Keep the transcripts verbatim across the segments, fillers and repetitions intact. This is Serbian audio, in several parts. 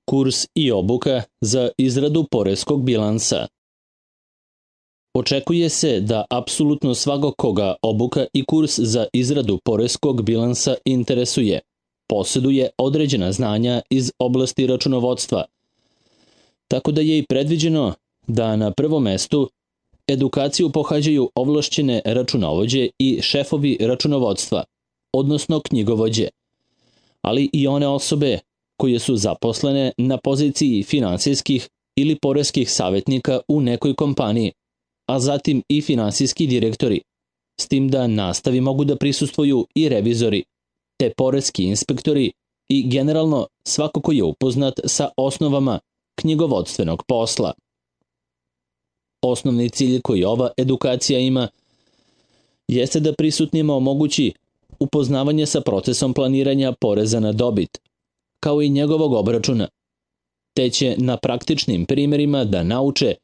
Kurs i obuka za izradu poreskog bilansa. Očekuje se da apsolutno svakog koga obuka i kurs za izradu poreskog bilansa interesuje, posjeduje određena znanja iz oblasti računovodstva, tako da je i predviđeno da na prvom mestu edukaciju pohađaju ovlašćene računovođe i šefovi računovodstva, odnosno knjigovođe, ali i one osobe koje su zaposlene na poziciji finansijskih ili poreskih savjetnika u nekoj kompaniji, a zatim i finansijski direktori, s tim da nastavi mogu da prisustvuju i revizori, te poreski inspektori i generalno svako ko je upoznat sa osnovama knjigovodstvenog posla. Osnovni cilj koji ova edukacija ima jeste da prisutnima omogući upoznavanje sa procesom planiranja poreza na dobit, kao i njegovog obračuna, te će na praktičnim primjerima da nauče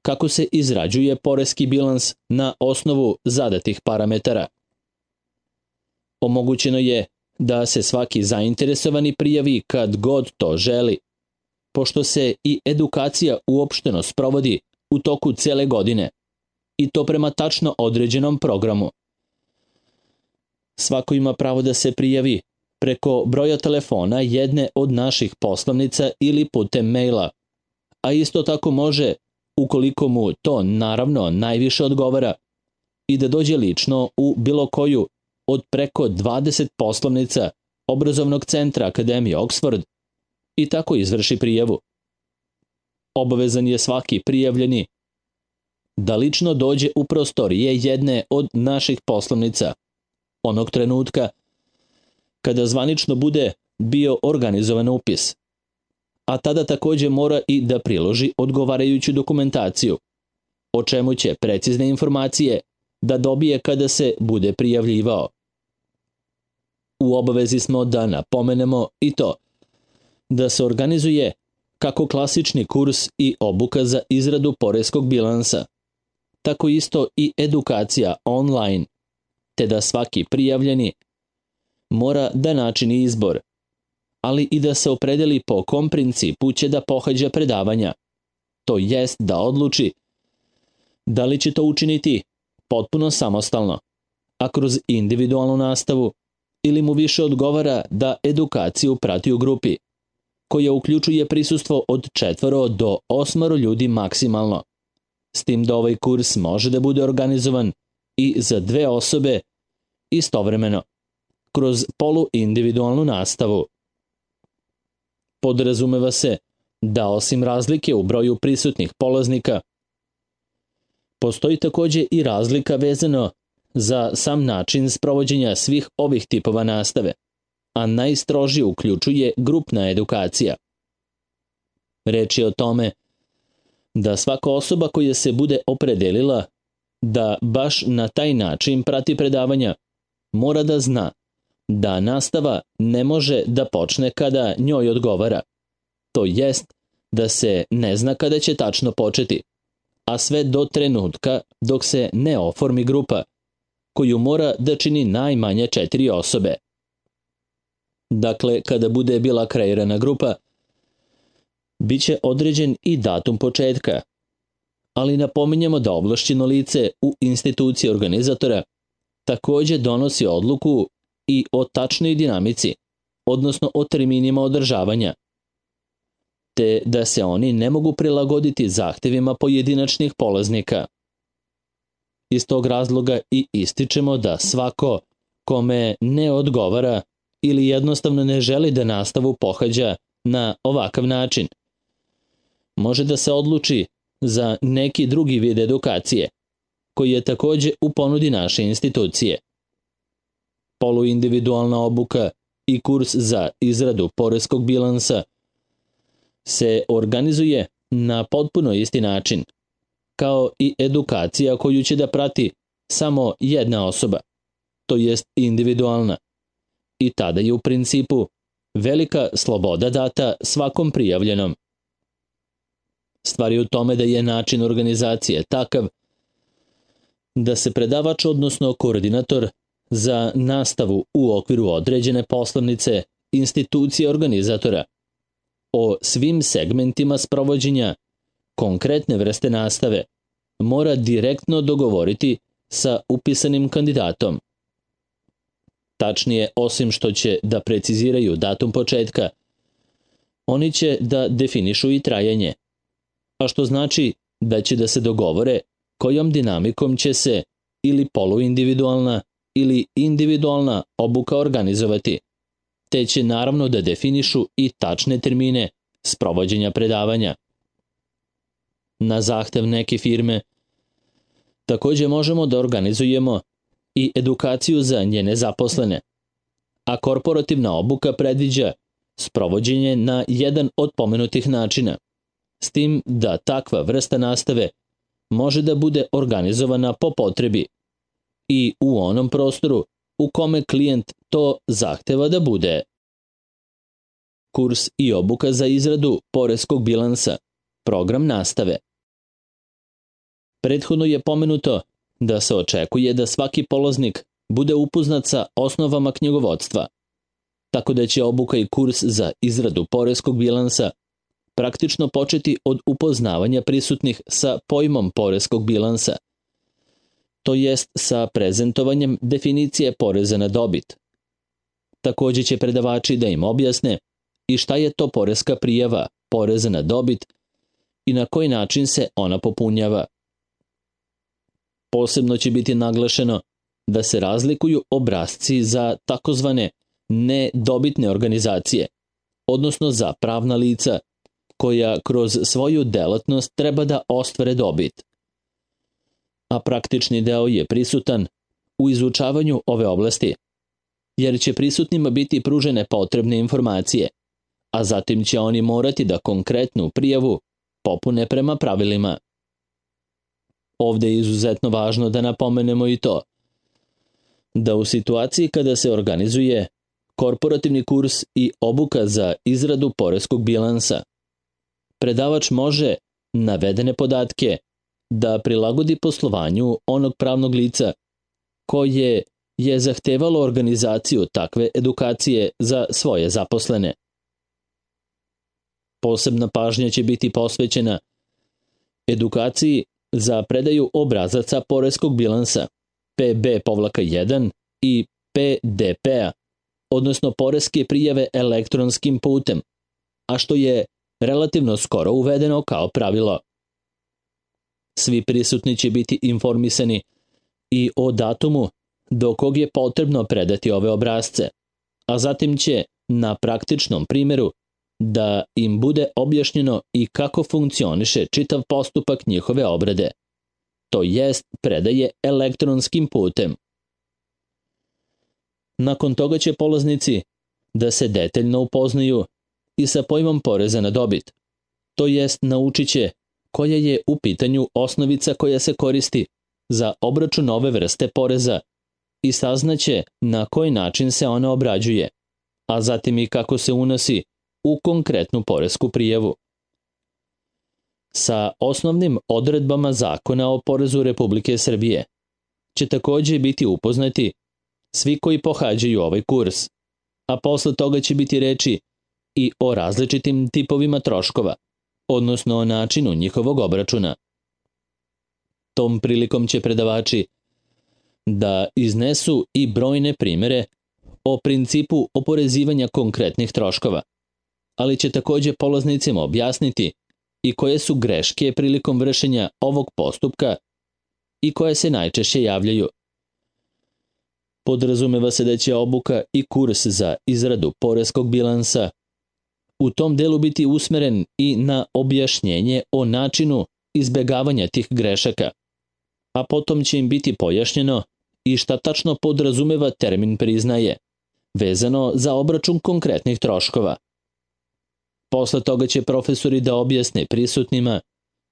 kako se izrađuje poreski bilans na osnovu zadatih parametara. Omogućeno je da se svaki zainteresovani prijavi kad god to želi, pošto se i edukacija uopšteno sprovodi u toku cele godine, i to prema tačno određenom programu. Svako ima pravo da se prijavi preko broja telefona jedne od naših poslovnica ili putem maila, a isto tako može, ukoliko mu to naravno najviše odgovara, i da dođe lično u bilo koju od preko dvadeset poslovnica obrazovnog centra Akademije Oxford i tako izvrši prijavu. Obavezan je svaki prijavljeni da lično dođe u prostorije jedne od naših poslovnica onog trenutka kada zvanično bude bio organizovan upis, a tada također mora i da priloži odgovarajuću dokumentaciju, o čemu će precizne informacije da dobije kada se bude prijavljivao. U obavezi smo da napomenemo i to da se organizuje kako klasični kurs i obuka za izradu poreskog bilansa, tako isto i edukacija online, te da svaki prijavljeni mora da načini izbor, ali i da se opredeli po kom principu će da pohađa predavanja, to jest da odluči da li će to učiniti potpuno samostalno, a kroz individualnu nastavu, ili mu više odgovara da edukaciju prati u grupi, koja uključuje prisustvo od četvoro do osmoro ljudi maksimalno, s tim da ovaj kurs može da bude organizovan i za dve osobe istovremeno, kroz poluindividualnu nastavu. Podrazumeva se da osim razlike u broju prisutnih polaznika, postoji također i razlika vezano za sam način sprovođenja svih ovih tipova nastave, a najstrožije uključuje grupna edukacija. Reč je o tome da svaka osoba koja se bude opredelila da baš na taj način prati predavanja mora da zna da nastava ne može da počne kada njoj odgovara, to jest da se ne zna kada će tačno početi, a sve do trenutka dok se ne oformi grupa, koju mora da čini najmanje četiri osobe. Dakle, kada bude bila kreirana grupa, bit će određen i datum početka, ali napominjemo da ovlašćeno lice u instituciji organizatora također donosi odluku i o tačnoj dinamici, odnosno o terminima održavanja, te da se oni ne mogu prilagoditi zahtevima pojedinačnih polaznika. Iz tog razloga i ističemo da svako kome ne odgovara ili jednostavno ne želi da nastavu pohađa na ovakav način, može da se odluči za neki drugi vid edukacije, koji je također u ponudi naše institucije. Poluindividualna obuka i kurs za izradu poreskog bilansa se organizuje na potpuno isti način, kao i edukacija koju će da prati samo jedna osoba, to jest individualna, i tada je u principu velika sloboda data svakom prijavljenom. Stvar je u tome da je način organizacije takav da se predavač, odnosno koordinator za nastavu u okviru određene poslovnice institucije organizatora, o svim segmentima sprovođenja konkretne vrste nastave mora direktno dogovoriti sa upisanim kandidatom. Tačnije, osim što će da preciziraju datum početka, oni će da definišu i trajanje, a što znači da će da se dogovore kojom dinamikom će se ili poluindividualna ili individualna obuka organizovati, te će naravno da definišu i tačne termine sprovođenja predavanja. Na zahtev neke firme takođe možemo da organizujemo i edukaciju za njene zaposlene, a korporativna obuka predviđa sprovođenje na jedan od pomenutih načina, s tim da takva vrsta nastave može da bude organizovana po potrebi i u onom prostoru u kome klijent to zahteva da bude. Kurs i obuka za izradu poreskog bilansa, program nastave. Prethodno je pomenuto da se očekuje da svaki polaznik bude upoznat sa osnovama knjigovodstva, tako da će obuka i kurs za izradu poreskog bilansa praktično početi od upoznavanja prisutnih sa pojmom poreskog bilansa, to jest sa prezentovanjem definicije poreza na dobit. Takođe će predavači da im objasne i šta je to poreska prijava poreza na dobit i na koji način se ona popunjava. Posebno će biti naglašeno da se razlikuju obrasci za takozvane nedobitne organizacije, odnosno za pravna lica koja kroz svoju delatnost treba da ostvare dobit. A praktični deo je prisutan u izučavanju ove oblasti, jer će prisutnima biti pružene potrebne informacije, a zatim će oni morati da konkretnu prijavu popune prema pravilima. Ovde je izuzetno važno da napomenemo i to, da u situaciji kada se organizuje korporativni kurs i obuka za izradu poreskog bilansa, predavač može navedene podatke da prilagodi poslovanju onog pravnog lica koje je zahtevalo organizaciju takve edukacije za svoje zaposlene. Posebna pažnja će biti posvećena edukaciji za predaju obrazaca poreskog bilansa P B jedan i P D P-a, odnosno poreske prijave elektronskim putem, a što je relativno skoro uvedeno kao pravilo. Svi prisutni će biti informisani i o datumu do kog je potrebno predati ove obrazce, a zatim će na praktičnom primjeru da im bude objašnjeno i kako funkcioniše čitav postupak njihove obrade, to jest predaje elektronskim putem. Nakon toga će polaznici da se detaljno upoznaju i sa pojmom poreza na dobit, to jest naučit će koja je u pitanju osnovica koja se koristi za obračun ove vrste poreza i saznaće na koji način se ona obrađuje, a zatim i kako se unosi u konkretnu poresku prijavu. Sa osnovnim odredbama Zakona o porezu Republike Srbije će takođe biti upoznati svi koji pohađaju ovaj kurs, a posle toga će biti reči i o različitim tipovima troškova, odnosno o načinu njihovog obračuna. Tom prilikom će predavači da iznesu i brojne primere o principu oporezivanja konkretnih troškova, ali će takođe polaznicima objasniti i koje su greške prilikom vršenja ovog postupka i koje se najčešće javljaju. Podrazumeva se da će obuka i kurs za izradu poreskog bilansa u tom delu biti usmeren i na objašnjenje o načinu izbegavanja tih grešaka, a potom će im biti pojašnjeno i šta tačno podrazumeva termin priznaje, vezano za obračun konkretnih troškova. Posle toga će profesori da objasne prisutnima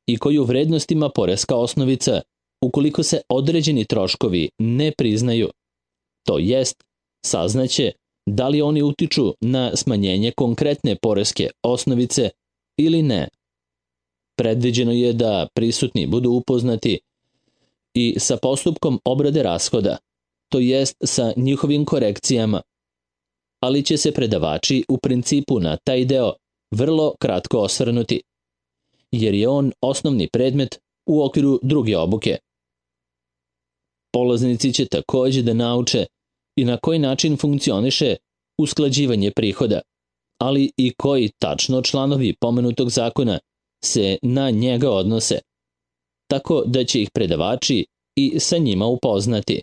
i koju vrednost ima poreska osnovica ukoliko se određeni troškovi ne priznaju, to jest saznaće da li oni utiču na smanjenje konkretne poreske osnovice ili ne. Predviđeno je da prisutni budu upoznati i sa postupkom obrade rashoda, to jest sa njihovim korekcijama, ali će se predavači u principu na taj deo vrlo kratko osvrnuti, jer je on osnovni predmet u okviru druge obuke. Polaznici će takođe da nauče i na koji način funkcioniše usklađivanje prihoda, ali i koji tačno članovi pomenutog zakona se na njega odnose, tako da će ih predavači i sa njima upoznati.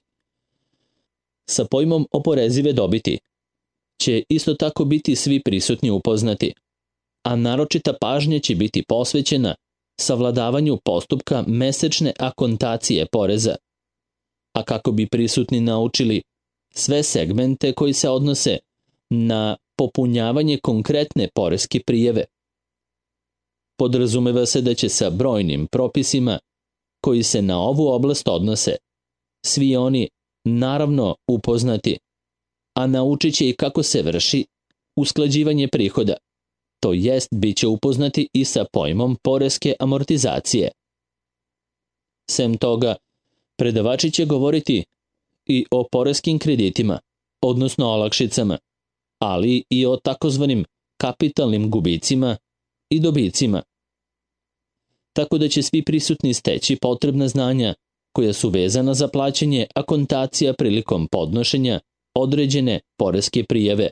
Sa pojmom oporezive dobiti će isto tako biti svi prisutni upoznati, a naročita pažnja će biti posvećena savladavanju postupka mesečne akontacije poreza, a kako bi prisutni naučili sve segmente koji se odnose na popunjavanje konkretne poreske prijave. Podrazumeva se da će sa brojnim propisima koji se na ovu oblast odnose svi oni naravno upoznati, a naučit će i kako se vrši usklađivanje prihoda, to jest bit će upoznati i sa pojmom poreske amortizacije. Sem toga, predavači će govoriti i o poreskim kreditima, odnosno olakšicama, ali i o takozvanim kapitalnim gubicima i dobicima. Tako da će svi prisutni steći potrebna znanja koja su vezana za plaćanje akontacija prilikom podnošenja određene poreske prijave.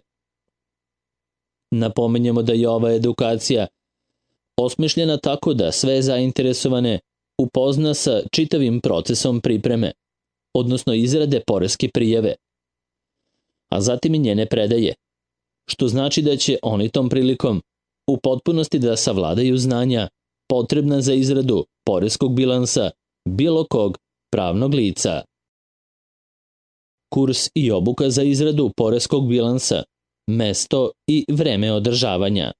Napomenjemo da je ova edukacija osmišljena tako da sve zainteresovane upozna sa čitavim procesom pripreme, odnosno izrade poreske prijave, a zatim i njene predaje, što znači da će oni tom prilikom u potpunosti da savladaju znanja potrebna za izradu poreskog bilansa bilo kog pravnog lica. Kurs i obuka za izradu poreskog bilansa, mesto i vreme održavanja.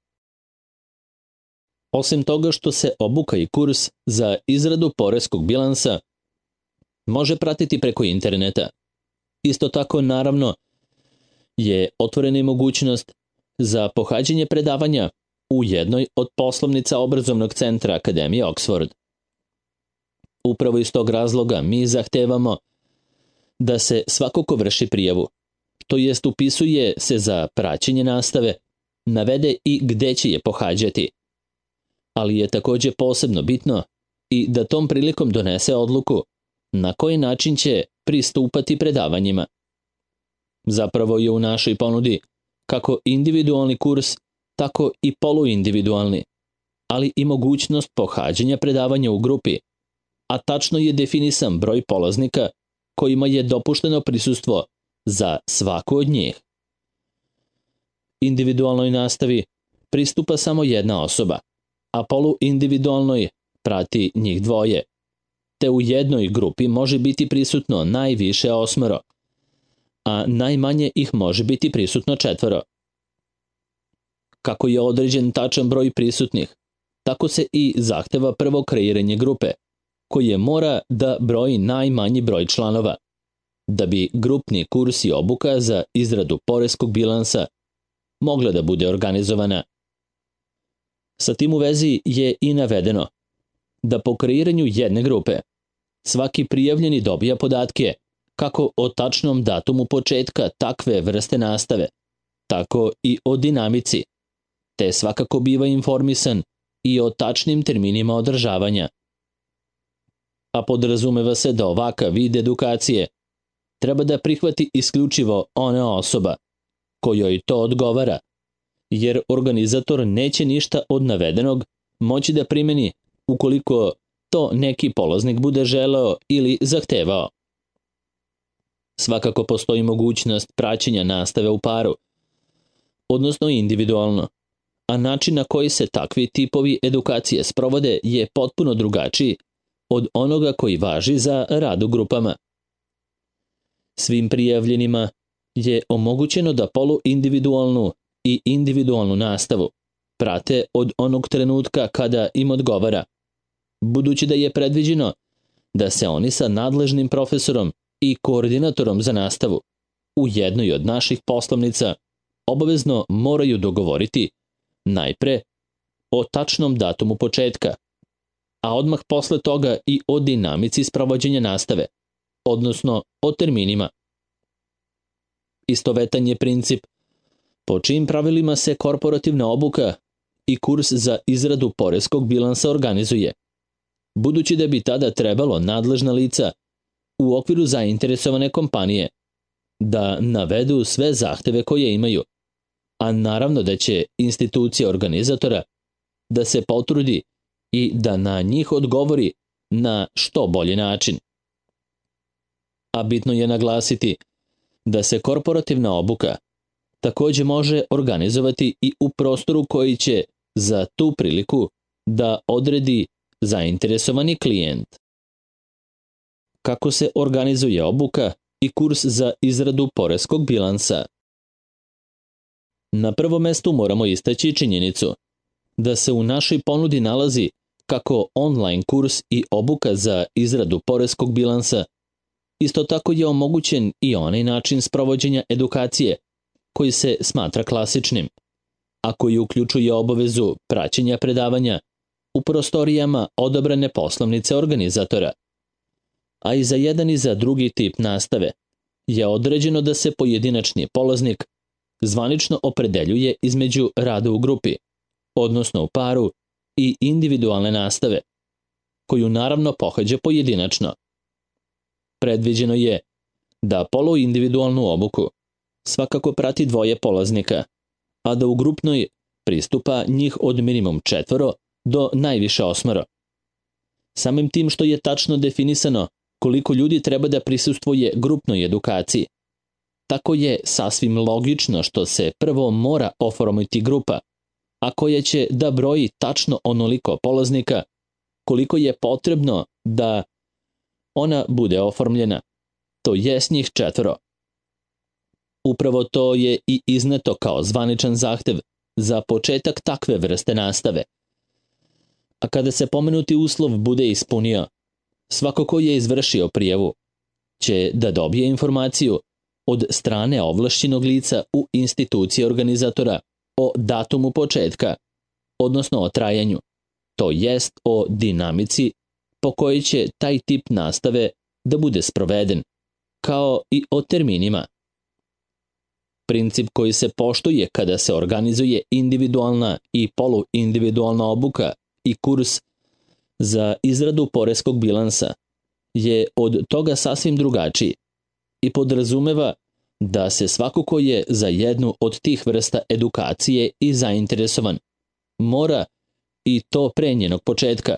Osim toga što se obuka i kurs za izradu poreskog bilansa može pratiti preko interneta, isto tako naravno je otvorena i mogućnost za pohađanje predavanja u jednoj od poslovnica obrazovnog centra Akademije Oxford. Upravo iz tog razloga mi zahtevamo da se svako ko vrši prijavu, to jest upisuje se za praćenje nastave, navede i gde će je pohađati. Ali je takođe posebno bitno i da tom prilikom donese odluku na koji način će pristupati predavanjima. Zapravo je u našoj ponudi kako individualni kurs, tako i poluindividualni, ali i mogućnost pohađanja predavanja u grupi, a tačno je definisan broj polaznika kojima je dopušteno prisustvo za svaku od njih. Individualnoj nastavi pristupa samo jedna osoba, a poluindividualnoj prati njih dvoje, te u jednoj grupi može biti prisutno najviše osmoro, a najmanje ih može biti prisutno četvoro. Kako je određen tačan broj prisutnih, tako se i zahteva prvo kreiranje grupe, koje mora da broji najmanji broj članova, da bi grupni kurs i obuka za izradu poreskog bilansa mogla da bude organizovana. Sa tim u vezi je i navedeno da po kreiranju jedne grupe svaki prijavljeni dobija podatke kako o tačnom datumu početka takve vrste nastave, tako i o dinamici, te svakako biva informisan i o tačnim terminima održavanja. A podrazumeva se da ovakav vid edukacije treba da prihvati isključivo ona osoba kojoj to odgovara, jer organizator neće ništa od navedenog moći da primeni ukoliko to neki polaznik bude želeo ili zahtevao. Svakako postoji mogućnost praćenja nastave u paru, odnosno individualno, a način na koji se takvi tipovi edukacije sprovode je potpuno drugačiji od onoga koji važi za rad u grupama. Svim prijavljenima je omogućeno da poluindividualnu i individualnu nastavu prate od onog trenutka kada im odgovara, budući da je predviđeno da se oni sa nadležnim profesorom i koordinatorom za nastavu u jednoj od naših poslovnica obavezno moraju dogovoriti najpre o tačnom datumu početka, a odmah posle toga i o dinamici sprovođenja nastave, odnosno o terminima. Istovetan je princip po čijim pravilima se korporativna obuka i kurs za izradu poreskog bilansa organizuje. Budući da bi tada trebalo nadležna lica u okviru zainteresovane kompanije da navedu sve zahteve koje imaju, a naravno da će institucija organizatora da se potrudi i da na njih odgovori na što bolji način. A bitno je naglasiti da se korporativna obuka takođe može organizovati i u prostoru koji će za tu priliku da odredi zainteresovani klijent. Kako se organizuje obuka i kurs za izradu poreskog bilansa? Na prvom mestu moramo istaći činjenicu da se u našoj ponudi nalazi kako online kurs i obuka za izradu poreskog bilansa. Isto tako je omogućen i onaj način sprovođenja edukacije koji se smatra klasičnim, a koji uključuje obavezu praćenja predavanja u prostorijama odabrane poslovnice organizatora. A i za jedan i za drugi tip nastave je određeno da se pojedinačni polaznik zvanično opredeljuje između rada u grupi, odnosno u paru, i individualne nastave, koju naravno pohađa pojedinačno. Predviđeno je da poluindividualnu obuku svakako prati dvoje polaznika, a da u grupnoj pristupa njih od minimum četvoro do najviše osmoro. Samim tim što je tačno definisano koliko ljudi treba da prisustvuje grupnoj edukaciji, tako je sasvim logično što se prvo mora oformiti grupa, a koja će da broji tačno onoliko polaznika koliko je potrebno da ona bude oformljena, to jest njih četvoro. Upravo to je i izneto kao zvaničan zahtev za početak takve vrste nastave. A kada se pomenuti uslov bude ispunio, svako ko je izvršio prijavu će da dobije informaciju od strane ovlašćenog lica u instituciji organizatora o datumu početka, odnosno o trajanju, to jest o dinamici po kojoj će taj tip nastave da bude sproveden, kao i o terminima. Princip koji se poštuje kada se organizuje individualna i poluindividualna obuka i kurs za izradu poreskog bilansa je od toga sasvim drugačiji i podrazumeva da se svako ko je za jednu od tih vrsta edukacije i zainteresovan mora, i to pre njenog početka,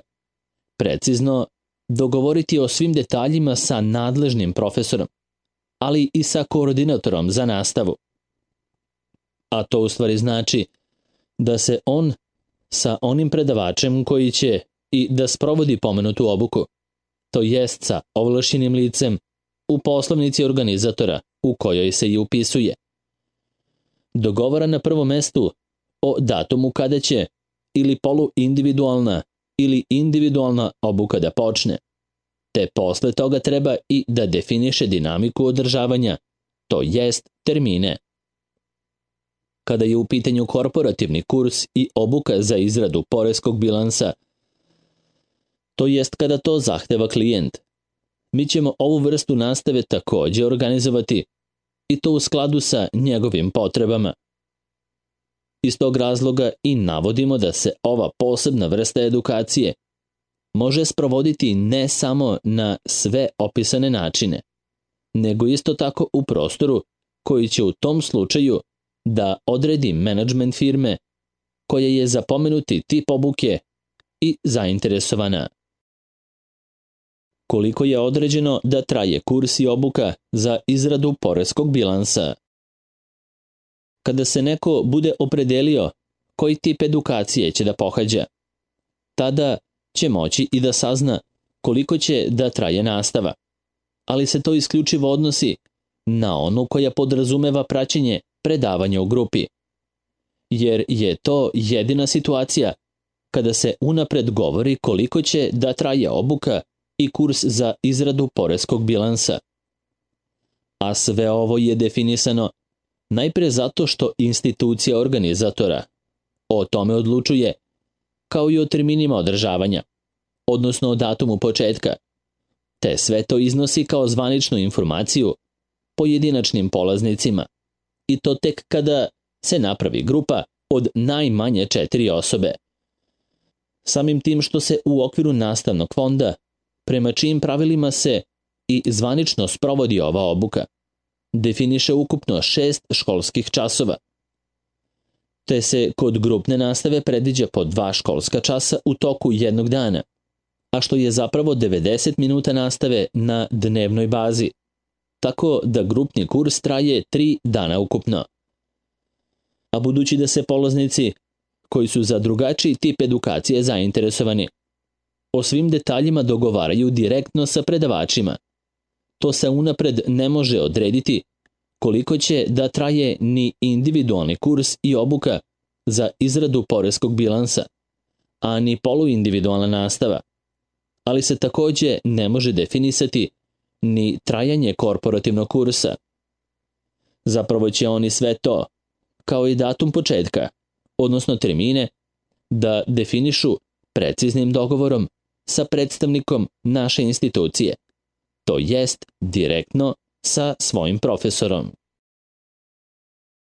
precizno dogovoriti o svim detaljima sa nadležnim profesorom, ali i sa koordinatorom za nastavu. A to u stvari znači da se on sa onim predavačem koji će i da sprovodi pomenutu obuku, to jest sa ovlašćenim licem u poslovnici organizatora u kojoj se i upisuje, dogovara na prvom mestu o datumu kada će ili poluindividualna ili individualna obuka da počne, te posle toga treba i da definiše dinamiku održavanja, to jest termine. Kada je u pitanju korporativni kurs i obuka za izradu poreskog bilansa, to jest kada to zahteva klijent, mi ćemo ovu vrstu nastave takođe organizovati i to u skladu sa njegovim potrebama. Iz tog razloga i navodimo da se ova posebna vrsta edukacije može sprovoditi ne samo na sve opisane načine, nego isto tako u prostoru koji će u tom slučaju da odredi menadžment firme koja je za pomenuti tip obuke i zainteresovana. Koliko je određeno da traje kurs i obuka za izradu poreskog bilansa? Kada se neko bude opredelio koji tip edukacije će da pohađa, tada će moći i da sazna koliko će da traje nastava, ali se to isključivo odnosi na onu koja podrazumeva praćenje predavanja u grupi, jer je to jedina situacija kada se unapred govori koliko će da traje obuka i kurs za izradu poreskog bilansa. A sve ovo je definisano najpre zato što institucija organizatora o tome odlučuje, kao i o terminima održavanja, odnosno o datumu početka, te sve to iznosi kao zvaničnu informaciju pojedinačnim polaznicima, i to tek kada se napravi grupa od najmanje četiri osobe. Samim tim što se u okviru nastavnog fonda, prema čijim pravilima se i zvanično sprovodi ova obuka, definiše ukupno šest školskih časova, te se kod grupne nastave predviđa po dva školska časa u toku jednog dana, a što je zapravo devedeset minuta nastave na dnevnoj bazi, tako da grupni kurs traje tri dana ukupno. A budući da se polaznici koji su za drugačiji tip edukacije zainteresovani o svim detaljima dogovaraju direktno sa predavačima, to se unapred ne može odrediti koliko će da traje ni individualni kurs i obuka za izradu poreskog bilansa, a ni poluindividualna nastava, ali se takođe ne može definisati ni trajanje korporativnog kursa. Zapravo će oni sve to, kao i datum početka, odnosno termine, da definišu preciznim dogovorom sa predstavnikom naše institucije, to jest direktno sa svojim profesorom.